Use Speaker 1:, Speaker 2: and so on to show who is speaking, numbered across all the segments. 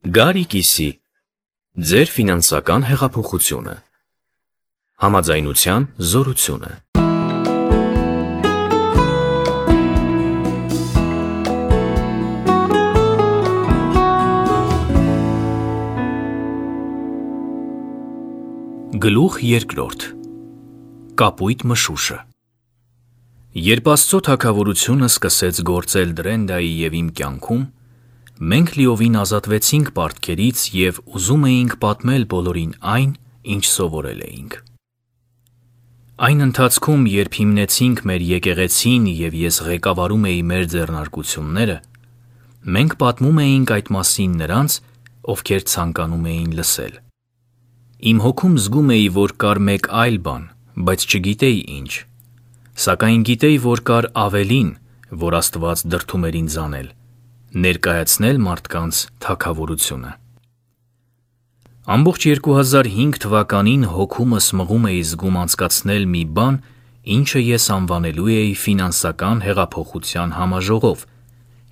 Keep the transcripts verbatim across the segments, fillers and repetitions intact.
Speaker 1: Գարի կիսի, ձեր ֆինանսական հեղափոխությունը, համաձայնության զորությունը։ Գլուխ երկրորդ. Կապույտ մշուշը։ Երբ Աստծո թագավորությունը սկսեց գործել Դրենդայի և իմ կյանքում, մենք լիովին ազատվեցինք պարտքերից և ուզում էինք պատմել բոլորին այն, ինչ սովորել էինք։ Այն ընթացքում, երբ հիմնեցինք մեր եկեղեցին և ես ղեկավարում էի մեր ձեռնարկությունները, մենք պատմում էինք այդ մասին նրանց, ովքեր ցանկանում էին լսել։ Իմ հոգում զգում էի, որ կար մեկ այլ բան, բայց չգիտեի ինչ, սակայն գիտեի, որ կար ավելին, որ Աստված դրդում էր ինձ անել՝ ներկայացնել մարդկանց թագավորությունը։ Ամբողջ երկու հազար հինգ թվականին հոգումս մղում էի զգում անցկացնել մի բան, ինչը ես անվանելու էի ֆինանսական հեղափոխության համաժողով,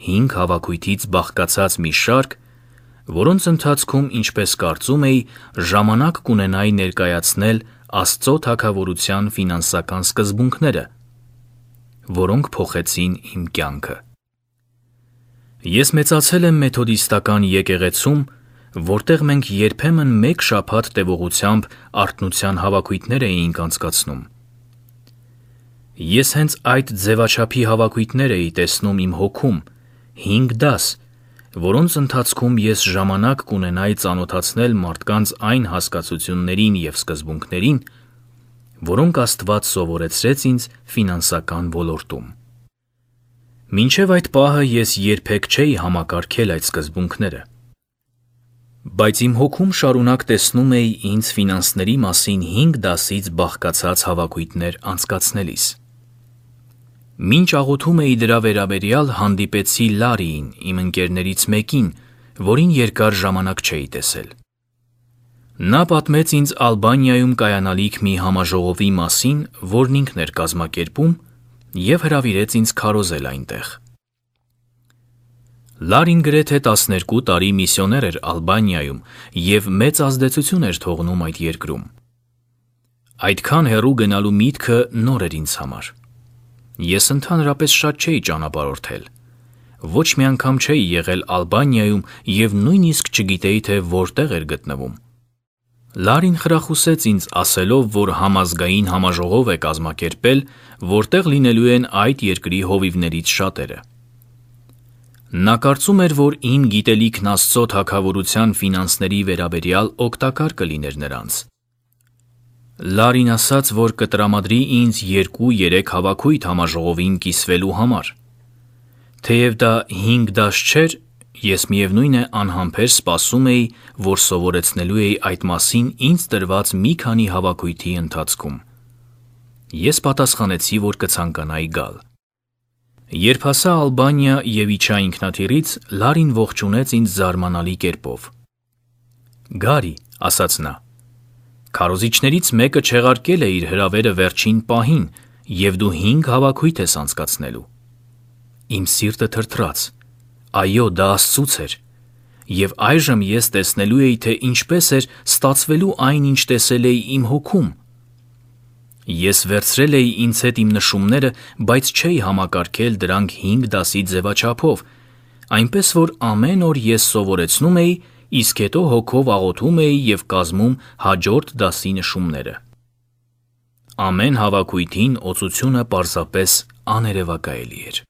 Speaker 1: հինգ հավաքույթից բաղկացած մի շարք, որոնց ընթացքում, ինչպես կարծում էի, ժամանակ կունենայի ներկայացնել Աստծո թագավորության ֆինանսական սկզբունքները, որոնք փոխեցին իմ կյանքը։ Ես մեծացել եմ մեթոդիստական եկեղեցում, որտեղ մենք երբեմն մեկ շաբաթ տևողությամբ արթնության հավաքույթներ էինք անցկացնում։ Ես հենց այդ ձևաչափի հավաքույթներ էի տեսնում իմ հոգում, հինգ դաս, որոնց ընթացքում ես ժամանակ կունենայի ծանոթացնել մարդկանց այն հասկացություններին և սկզբունքներին, որոնք Աստված սովորեցրեց ինձ ֆինանսական ոլորտում։ Մինչև այդ պահը ես երբեք չէի համակարգել այդ սկզբունքները։ Բայց իմ հոգում շարունակ տեսնում էի ինձ ֆինանսների մասին հինգ դասից բաղկացած հավաքույթներ անցկացնելիս։ Մինչ աղոթում էի դրա վերաբերյալ, հանդիպեցի Լարիին, իմ ընկերներից մեկին, որին երկար ժամանակ չէի տեսել։ Նա պատմեց ինձ Ալբանիայում կայանալիք մի համաժողովի մասին, որն ինքն էր կազմակերպում, և հրավիրեց ինձ քարոզել այնտեղ։ Լարին գրեթե տասներկու տարի միսիոներ էր Ալբանիայում և մեծ ազդեցություն էր թողնում այդ երկրում։ Այդքան հեռու գնալու միտքը նոր էր ինձ համար։ Ես ընդհանրապես շատ չէի ճանապարհորդել։ Ոչ մի անգամ չէի եղել Ալբանիայում և նույնիսկ չգիտեի, թե որտեղ էր գտնվում։ Լարին խրախուսեց ինձ ասելով, որ համազգային համաժողով է կազմակերպել, որտեղ լինելու են այդ երկրի հովիվներից շատերը։ Նա կարծում էր, որ իմ գիտելիքն Աստծո թագավորության ֆինանսների վերաբերյալ օգտակար կլիներ նրանց։ Լարին ասաց, որ կտրամադրի ինձ երկու-երեք հավաքույթ համաժողովին կիսվելու համար։ Թեև դա հինգ դաս չէր, ես միևնույն է անհամբեր սպասում էի, որ սովորեցնելու էի այդ մասին ինձ տրված մի քանի հավաքույթի ընթացքում։ Ես պատասխանեցի, որ կցանկանայի գալ։ Երբ հասա Ալբանիա և իջա ինքնաթիռից, Լարին ողջունեց ինձ զարմանալի կերպով։ «Գարի», ասաց նա, «քարոզիչներից մեկը չեղարկել է իր հրավերը վերջին պահին, և դու հինգ հավաքույթ ես անցկացնելու»։ Իմ սիրտը թրթռաց։ Այո, դա Աստծուց էր։ Եվ այժմ ես տեսնելու էի, թե ինչպես էր ստացվելու այն, ինչ տեսել էի իմ հոգում։ Ես վերցրել էի ինձ հետ իմ նշումները, բայց չէի համակարգել դրանք հինգ դասի ձևաչափով, այնպես որ ամեն օր ես սովորեցնում էի, իսկ հետո հոգով աղոթում էի և կազմում հաջորդ դասի նշումները։ Ամեն հավաքույթին օծությունը պարզապես աներևակայելի էր։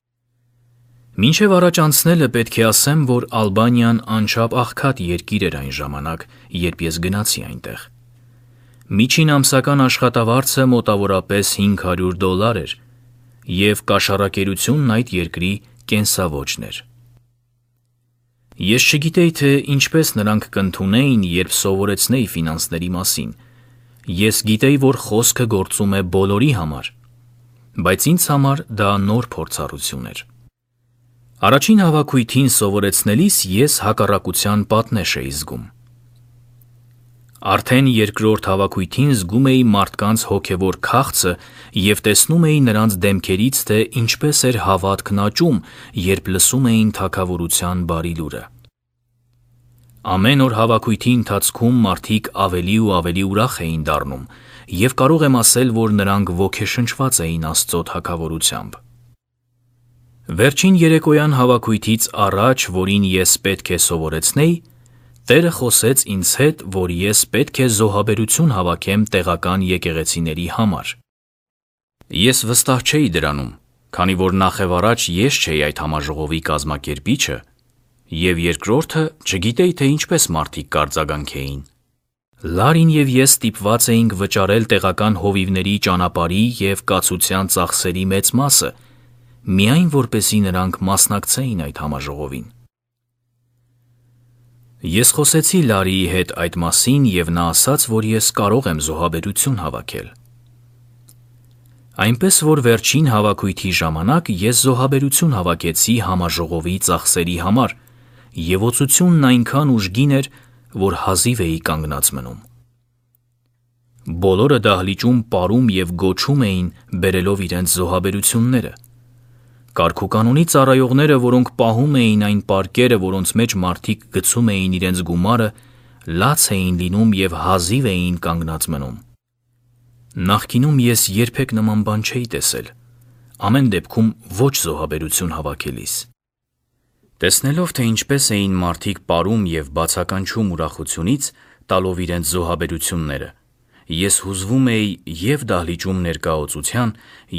Speaker 1: Մինչև առաջ անցնելը պետք է ասեմ, որ Ալբանիան անչափ աղքատ երկիր էր այն ժամանակ, երբ ես գնացի այնտեղ։ Միջին ամսական աշխատավարձը մոտավորապես հինգ հարյուր դոլար էր, և կաշառակերությունն այդ երկրի կենսաոճն էր։ Ես չգիտեի, թե ինչպես նրանք կընդունեին, երբ սովորեցնեի ֆինանսների մասին։ Ես գիտեի, որ խոսքը գործում է բոլորի համար, բայց ինձ համար դա նոր փորձառություն էր։ Առաջին հավաքույթին սովորեցնելիս ես հակառակության պատնեշ էի զգում։ Արդեն երկրորդ հավաքույթին զգում էի մարդկանց հոգևոր քաղցը և տեսնում էի նրանց դեմքերից, թե ինչպես էր հավատքն աճում, երբ լսում էին թագավորության բարի լուրը։ Ամեն օր հավաքույթի ընթացքում մարդիկ ավելի ու ավելի ուրախ էին դառնում, և կարող եմ ասել, որ նրանք ոգեշնչված էին Աստծո թագավորությամբ։ Վերջին երեկոյան հավաքույթից առաջ, որին ես պետք է սովորեցնեի, Տերը խոսեց ինձ հետ, որ ես պետք է զոհաբերություն հավաքեմ տեղական եկեղեցիների համար։ Ես վստահ չէի դրանում, քանի որ նախևառաջ ես չէի այդ համաժողովի կազմակերպիչը, և երկրորդը չգիտեի, թե ինչպես մարդիկ կարձագանքեին։ Լարին և ես ստիպված էինք վճարել տեղական հովիվների ճանապարհի և կացության ծախսերի մեծ մասը, միայն որպեսզի նրանք մասնակցեին այդ համաժողովին։ Ես խոսեցի Լարիի հետ այդ մասին, և նա ասաց, որ ես կարող եմ զոհաբերություն հավաքել։ Այնպես որ վերջին հավաքույթի ժամանակ ես զոհաբերություն հավաքեցի համաժողովի ծախսերի համար, և օծությունն այնքան ուժգին էր, որ հազիվ էի կանգնած մնում։ Բոլորը դահլիճում պարում և գոչում էին, բերելով իրենց զոհաբերությունները։ Կարգուկանոնի ծառայողները, որոնք պահում էին այն պարկերը, որոնց մեջ մարդիկ գցում էին իրենց գումարը, լաց էին լինում և հազիվ էին կանգնած մնում։ Նախկինում ես երբեք նման բան չէի տեսել, ամեն դեպքում ոչ զոհաբերություն հավաքելիս։ Տեսնելով, թե ինչպես էին մարդիկ պարում և բացականչում ուրախությունից, տալով իրենց զոհաբերությունները, ես հուզվում էի և դահլիճում ներկա օծության,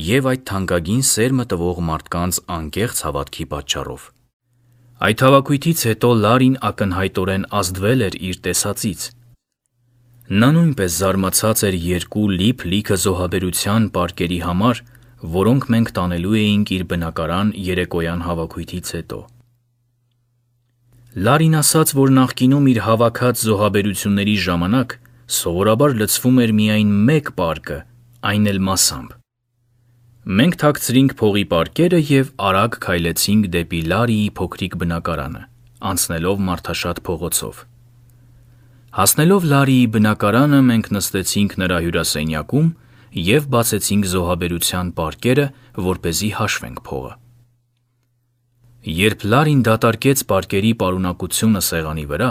Speaker 1: և այդ թանկագին սերմը տվող մարդկանց անկեղծ հավատքի պատճառով։ Այդ հավաքույթից հետո Լարին ակնհայտորեն ազդվել էր իր տեսածից։ Նա նույնպես զարմացած էր երկու լիփ-լիքը զոհաբերության պարկերի համար, որոնք մենք տանելու էինք իր բնակարան երեկոյան հավաքույթից հետո։ Լարին ասաց, որ նախկինում իր հավաքած զոհաբերությունների ժամանակ սովորաբար լցվում էր միայն մեկ պարկը, այն էլ մասամբ։ Մենք թաքցրինք փողի պարկերը և արագ քայլեցինք դեպի Լարիի փոքրիկ բնակարանը, անցնելով մարդաշատ փողոցով։ Հասնելով Լարիի բնակարանը, մենք նստեցինք նրա հյուրասենյակում և բացեցինք զոհաբերության պարկերը, որպեսզի հաշվենք փողը։ Երբ Լարին դատարկեց պարկերի պարունակությունը սեղանի վրա,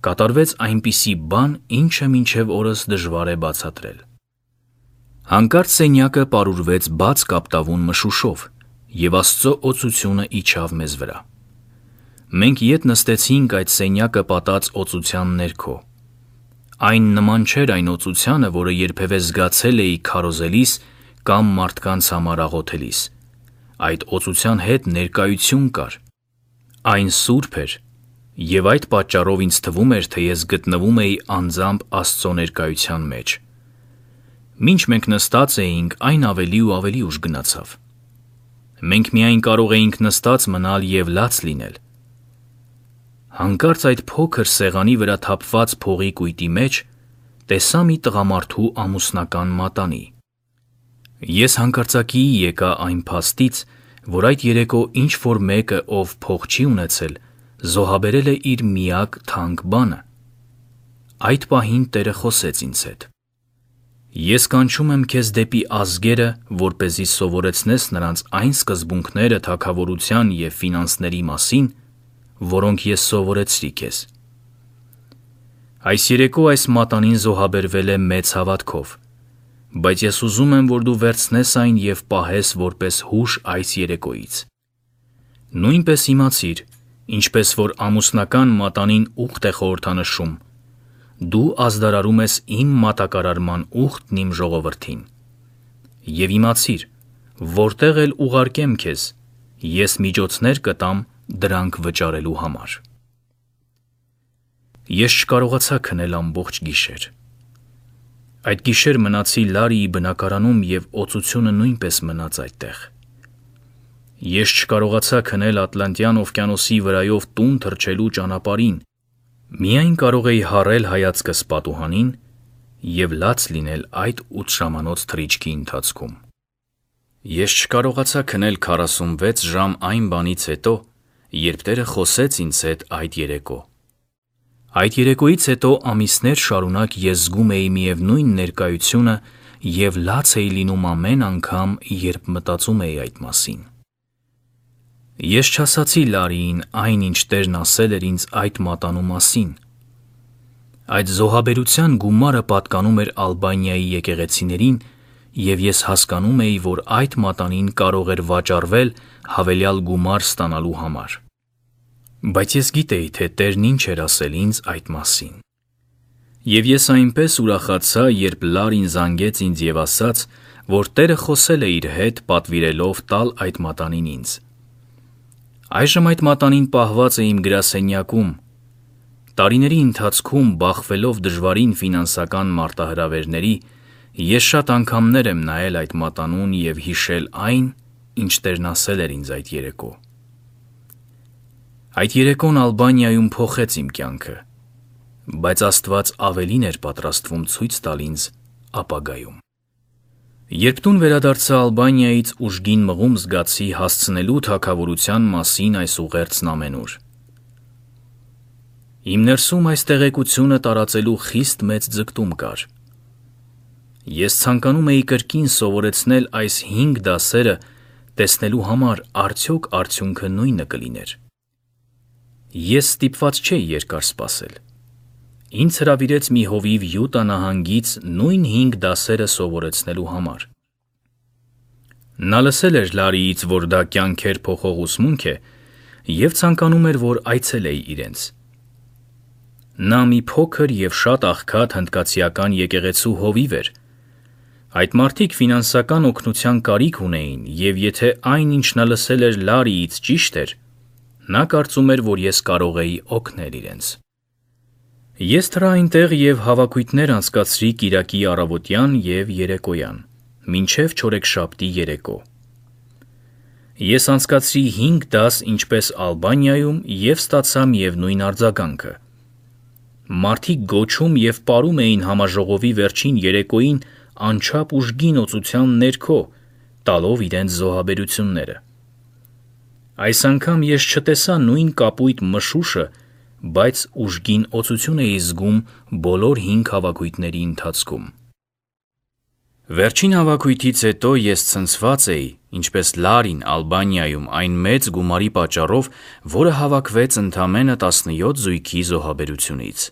Speaker 1: կատարվեց այնպիսի բան, ինչը մինչև օրս դժվար է բացատրել։ Հանկարծ սենյակը պարուրվեց բաց կապտավուն մշուշով, և Աստծո օծությունը իջավ մեզ վրա։ Մենք ետ նստեցինք այդ սենյակը պատած օծության ներքո։ Այն նման չէր այն օծությանը, որը երբևէ զգացել էի քարոզելիս կամ մարդկանց համար աղոթելիս։ Այդ օծության հետ ներկայություն կար։ Այն սուրբ էր, և այդ պատճառով ինձ թվում էր, թե ես գտնվում էի անձամբ Աստծո ներկայության մեջ։ Մինչ մենք նստած էինք, այն ավելի ու ավելի ուժ գնացավ։ Մենք միայն կարող էինք նստած մնալ և լաց լինել։ Հանկարծ այդ փոքր սեղանի վրա թափված փողի կույտի մեջ տեսա մի տղամարդու ամուսնական մատանի։ Ես հանկարծակիի եկա այն փաստից, որ այդ երեկո ինչ-որ մեկը, ով փող չի ունեցել, զոհաբերել է իր միակ թանկ բանը։ Այդ պահին Տերը խոսեց ինձ հետ. «Ես կանչում եմ քեզ դեպի ազգերը, որպեսզի սովորեցնես նրանց այն սկզբունքները թագավորության և ֆինանսների մասին, որոնք ես սովորեցրի քեզ»։ Այս երեկո այս մատանին զոհաբերվել է մեծ հավատքով, բայց ես ուզում եմ, որ դու վերցնես այն և պահես որպես հուշ այս երեկոյից։ Նույնպես իմացիր, ինչպես որ ամուսնական մատանին ուխտ է խորհրդանշում, դու ազդարարում ես իմ մատակարարման ուխտն իմ ժողովրդին։ Եվ իմացիր, որտեղ էլ ուղարկեմ քեզ, ես միջոցներ կտամ դրանք վճարելու համար։ Ես չկարողացա քնել ամբողջ գիշեր։ Այդ գիշեր մնացի Լարիի բնակարանում և օծությունը նույնպես մնաց այդտեղ։ Ես չկարողացա քնել Ատլանտյան օվկիանոսի վրայով տուն թռչելու ճանապարհին, միայն կարող էի հառել հայացքս պատուհանին և լաց լինել այդ ութշամանոց թռիչքի ընթացքում։ Ես չկարողացա քնել քառասունվեց ժամ այն բանից հետո, երբ Տերը խոսեց ինձ հետ այդ երեկո։ Այդ երեկոյից հետո ամիսներ շարունակ ես զգում էի միևնույն ներկայությունը և լաց էի լինում ամեն անգամ, երբ մտածում էի այդ մասին։ Ես չասացի Լարիին այն, ինչ Տերն ասել էր ինձ այդ մատանու մասին։ Այդ զոհաբերության գումարը պատկանում էր Ալբանիայի եկեղեցիներին, և ես հասկանում էի, որ այդ մատանին կարող էր վաճառվել հավելյալ գումար ստանալու համար։ Բայց ես գիտեի, թե Տերն ինչ էր ասել ինձ այդ մասին։ Եվ ես այնպես ուրախացա, երբ Լարին զանգեց ինձ և ասաց, որ Տերը խոսել է իր հետ, պատվիրելով տալ այդ մատանին ինձ։ Այժմ այդ մատանին պահված է իմ գրասենյակում։ Տարիների ընթացքում, բախվելով դժվարին ֆինանսական մարտահրավերների, ես շատ անգամներ եմ նայել այդ մատանուն և հիշել այն, ինչ Տերն ասել էր ինձ այդ երեկո։ Այդ երեկոն Ալբանիայում փոխեց իմ կյանքը, բայց Աստված ավելին էր պատրաստվում ցույց տալ ինձ ապագայում։ Երբ տուն վերադարձա Ալբանիայից, ուժգին մղում զգացի հասցնելու թագավորության մասին այս ուղերձն ամենուր։ Իմ ներսում այս տեղեկությունը տարածելու խիստ մեծ ձգտում կար։ Ես ցանկանում էի կրկին սովորեցնել այս հինգ դասերը, տեսնելու համար արդյոք արդյունքը նույնը կլիներ։ Ես ստիպված չէի երկար սպասել։ Ինձ հրավիրեց մի հովիվ Յուտա նահանգից նույն հինգ դասերը սովորեցնելու համար։ Նա լսել էր Լարիից, որ դա կյանքեր փոխող ուսմունք է, և ցանկանում էր, որ այցելեի իրենց։ Նա մի փոքր և շատ աղքատ հնդկացիական եկեղեցու հովիվ էր։ Այդ մարդիկ ֆինանսական օգնության կարիք ունեին, և եթե այն, ինչ նա լսել էր Լարիից, ճիշտ էր, նա կարծում էր, որ ես կարող էի օգնել իրենց։ Ես թռա այնտեղ և հավաքույթներ անցկացրի կիրակի առավոտյան և երեկոյան, մինչև չորեքշաբթի երեկո։ Ես անցկացրի հինգ դաս ինչպես Ալբանիայում և ստացա միևնույն արձագանքը։ Մարդիկ գոչում և պարում էին համաժողովի վերջին երեկոյին անչափ ուժգին օծության ներքո, տալով իրենց զոհաբերությունները։ Այս անգամ ես չտեսա նույն կապույտ մշուշը, բայց ուժգին օծություն էի զգում բոլոր հինգ հավաքույթների ընթացքում։ Վերջին հավաքույթից հետո ես ցնցված էի, ինչպես Լարին Ալբանիայում այն մեծ գումարի պատճառով, որը հավաքվեց ընդամենը տասնյոթ զույգի զոհաբերությունից։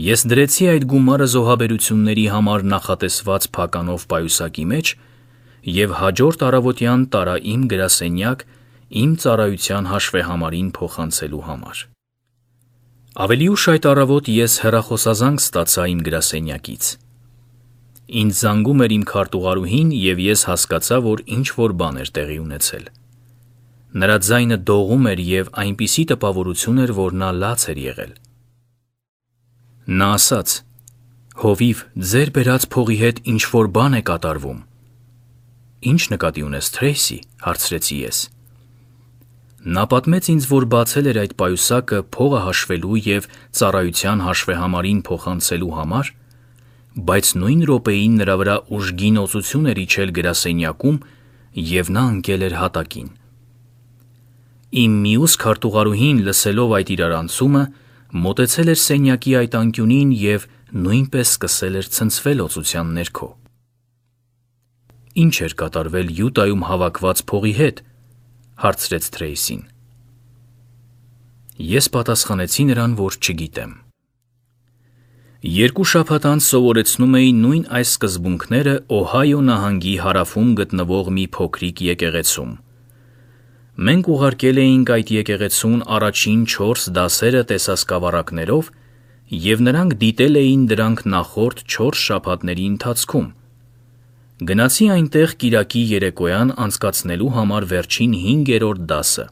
Speaker 1: Ես դրեցի այդ գումարը զոհաբերությունների համար նախատեսված փականով պայուսակի մեջ և հաջորդ առավոտյան տարա իմ գրասենյակ իմ ծառայության հաշվեհամարին փոխանցելու համար։ Ավելի ուշ այդ առավոտ ես հեռախոսազանգ ստացա իմ գրասենյակից։ Ինձ զանգում էր իմ քարտուղարուհին, և ես հասկացա, որ ինչ-որ բան էր տեղի ունեցել։ Նրա ձայնը դողում էր և այնպիսի տպավորություն էր, որ նա լաց էր եղել։ Նա ասաց. «Հովիվ, ձեր բերած փողի հետ ինչ-որ բան է կատարվում»։ «Ինչ նկատի ունես, Թրեյսի», հարցրեցի ես։ Նա պատմեց ինձ, որ բացել էր այդ պայուսակը փողը հաշվելու և ծառայության հաշվեհամարին փոխանցելու համար, բայց նույն րոպեին նրա վրա ուժգին օծություն էր իջել գրասենյակում, և նա ընկել էր հատակին։ Իմ մյուս քարտուղարուհին, լսելով այդ իրարանցումը, մոտեցել էր սենյակի այդ անկյունին և նույնպես սկսել էր ցնցվել օծության ներքո։ «Ինչ էր կատարվել Յուտայում հավաքված փողի հետ», հարցրեց Թրեյսին։ Ես պատասխանեցի նրան, որ չգիտեմ։ Երկու շաբաթ անց սովորեցնում էի նույն այս սկզբունքները Օհայո նահանգի հարավում գտնվող մի փոքրիկ եկեղեցում։ Մենք ուղարկել էինք այդ եկեղեցուն առաջին չորս դասերը տեսասկավառակներով, և նրանք դիտել էին դրանք նախորդ չորս շաբաթների ընթացքում։ Գնացի այնտեղ կիրակի երեկոյան անցկացնելու համար վերջին հինգերորդ դասը։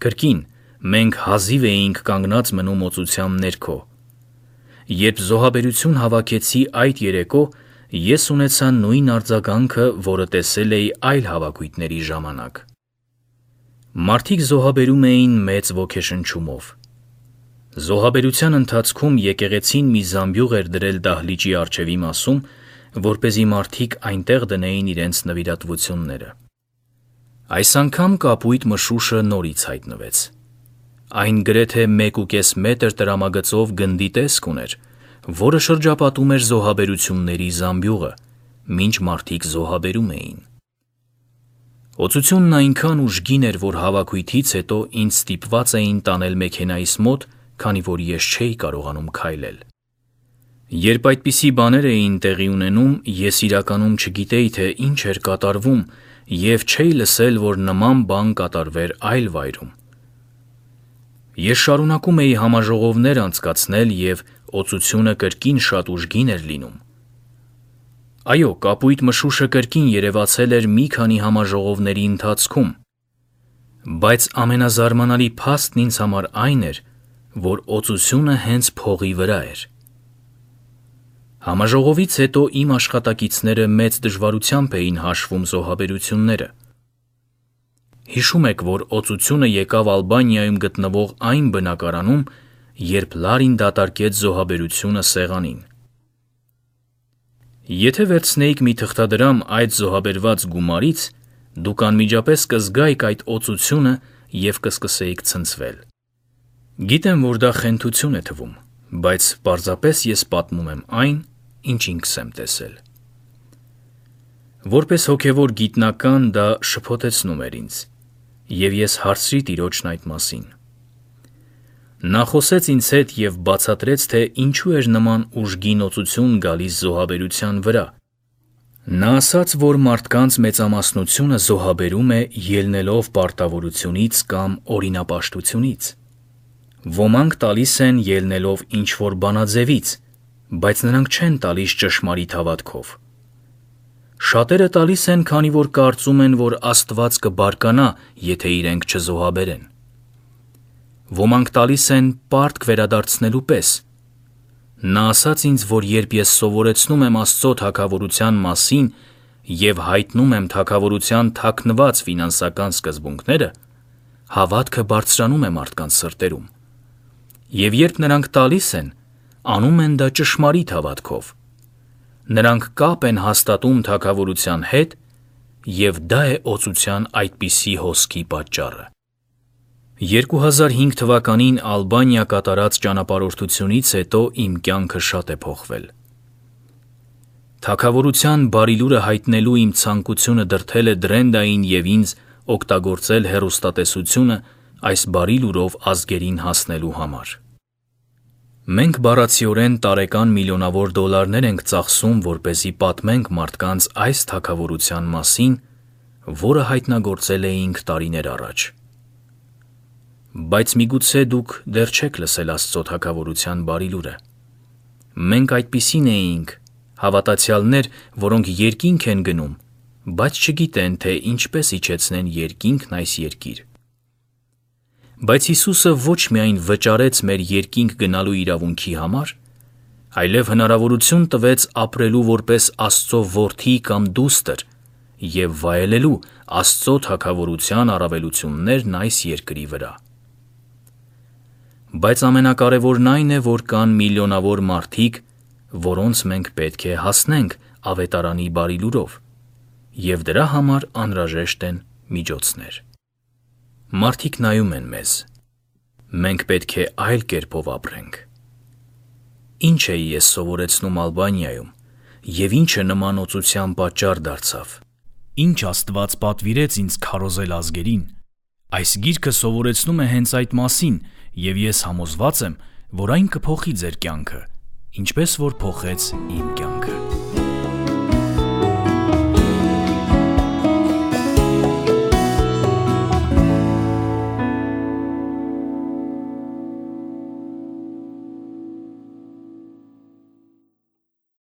Speaker 1: Կրկին, մենք հազիվ էինք կանգնած մնում օծության ներքո։ Երբ զոհաբերություն հավաքեցի այդ երեկո, ես ունեցա նույն արձագանքը, որը տեսել էի այլ հավաքույթների ժամանակ։ Մարդիկ զոհաբերում էին մեծ ոգեշնչումով։ Զոհաբերության ընթացքում եկեղեցին մի զամբյուղ էր դրել դահլիճի առջևի մասում, որպեսզի մարդիկ այնտեղ դնեին իրենց նվիրատվությունները։ Այս անգամ կապույտ մշուշը նորից հայտնվեց։ Այն գրեթե մեկուկես մետր տրամագծով գնդի տեսք ուներ, որը շրջապատում էր զոհաբերությունների զամբյուղը, մինչ մարդիկ զոհաբերում էին։ Օծությունն այնքան ուժգին էր, որ հավաքույթից հետո ինձ ստիպված էին տանել մեքենայիս մոտ, քանի որ ես չէի կարողանում քայլել։ Երբ այդպիսի բաներ էին տեղի ունենում, ես իրականում չգիտեի, թե ինչ էր կատարվում և չէի լսել, որ նման բան կատարվեր այլ վայրում։ Ես շարունակում էի համաժողովներ անցկացնել և օծությունը կրկին շատ ուժգին էր լինում։ Այո, կապույտ մշուշը կրկին երևացել էր մի քանի համաժողովների ընթացքում, բայց ամենազարմանալի փաստն ինձ համար այն էր, որ օծությունը հենց փողի վրա էր։ Համաժողովից հետո իմ աշխատակիցները մեծ դժվարությամբ էին հաշվում զոհաբերությունները։ Հիշում եք, որ օծությունը եկավ Ալբանիայում գտնվող այն բնակարանում, երբ Լարին դատարկեց զոհաբերությունը սեղանին։ Եթե վերցնեիք մի թղթադրամ այդ զոհաբերված գումարից, դուք անմիջապես կզգայիք այդ օծությունը և կսկսեիք ցնցվել։ Գիտեմ, որ դա խենթություն է թվում, բայց պարզապես ես պատմում եմ այն, ինչ ինքս եմ տեսել։ Որպես հոգևոր գիտնական դա շփոթեցնում էր ինձ, և ես հարցրի Տիրոջն այդ մասին։ Նա խոսեց ինձ հետ և բացատրեց, թե ինչու էր նման ուժգին օծություն գալիս զոհաբերության վրա։ Նա ասաց, որ մարդկանց մեծամասնությունը զոհաբերում է ելնելով պարտավորությունից կամ օրինապաշտությունից։ Ոմանք տալիս են ելնելով ինչ-որ բանաձևից, բայց նրանք չեն տալիս ճշմարիտ հավատքով։ Շատերը տալիս են, քանի որ կարծում են, որ Աստված կբարկանա, եթե իրենք չզոհաբերեն։ Ոմանք տալիս են պարտք վերադարձնելու պես։ Նա ասաց ինձ, որ երբ ես սովորեցնում եմ Աստծո թագավորության մասին և հայտնում եմ թագավորության թաքնված ֆինանսական սկզբունքները, հավատքը բարձրանում է մարդկանց սրտերում։ Եվ երբ նրանք տալիս են, անում են դա ճշմարիտ հավատքով։ Նրանք կապ են հաստատում թագավորության հետ, և դա է օծության այդպիսի հոսքի պատճառը։ երկու հազար հինգ թվականին Ալբանիա կատարած ճանապարհորդությունից հետո իմ կյանքը շատ է փոխվել։ Թագավորության բարի լուրը հայտնելու իմ ցանկությունը դրդել է Դրենդային և ինձ օգտագործել հեռուստատեսությունը այս բարի լուրով ազգերին հասնելու համար։ Մենք բառացիորեն տարեկան միլիոնավոր դոլարներ ենք ծախսում, որպեսզի պատմենք մարդկանց այս թագավորության մասին, որը հայտնագործել էինք տարիներ առաջ։ Բայց միգուցե դուք դեռ չեք լսել Աստծո թագավորության բարի լուրը։ Մենք այդպիսին էինք, հավատացյալներ, որոնք երկինք են գնում, բայց չգիտեն, թե ինչպես իջեցնեն երկինքն այս երկիր։ Բայց Հիսուսը ոչ միայն վճարեց մեր երկինք գնալու իրավունքի համար, այլև հնարավորություն տվեց ապրելու որպես Աստծո որդի կամ դուստր և վայելելու Աստծո թագավորության առավելություններն այս երկրի վրա։ Բայց ամենակարևորն այն է, որ կան միլիոնավոր մարդիկ, որոնց մենք պետք է հասնենք ավետարանի բարի լուրով, և դրա համար անհրաժեշտ են միջոցներ։ Մարդիկ նայում են մեզ։ Մենք պետք է այլ կերպով ապրենք։ Ինչ էի ես սովորեցնում Ալբանիայում, և ինչը նման օծության պատճառ դարձավ։ Ինչ Աստված պատվիրեց ինձ քարոզել ազգերին։ Այս գիրքը սովորեցնում է հենց այդ մասին, և ես համոզված եմ, որ այն կփոխի ձեր կյանքը, ինչպես որ փոխեց իմ կյանքը։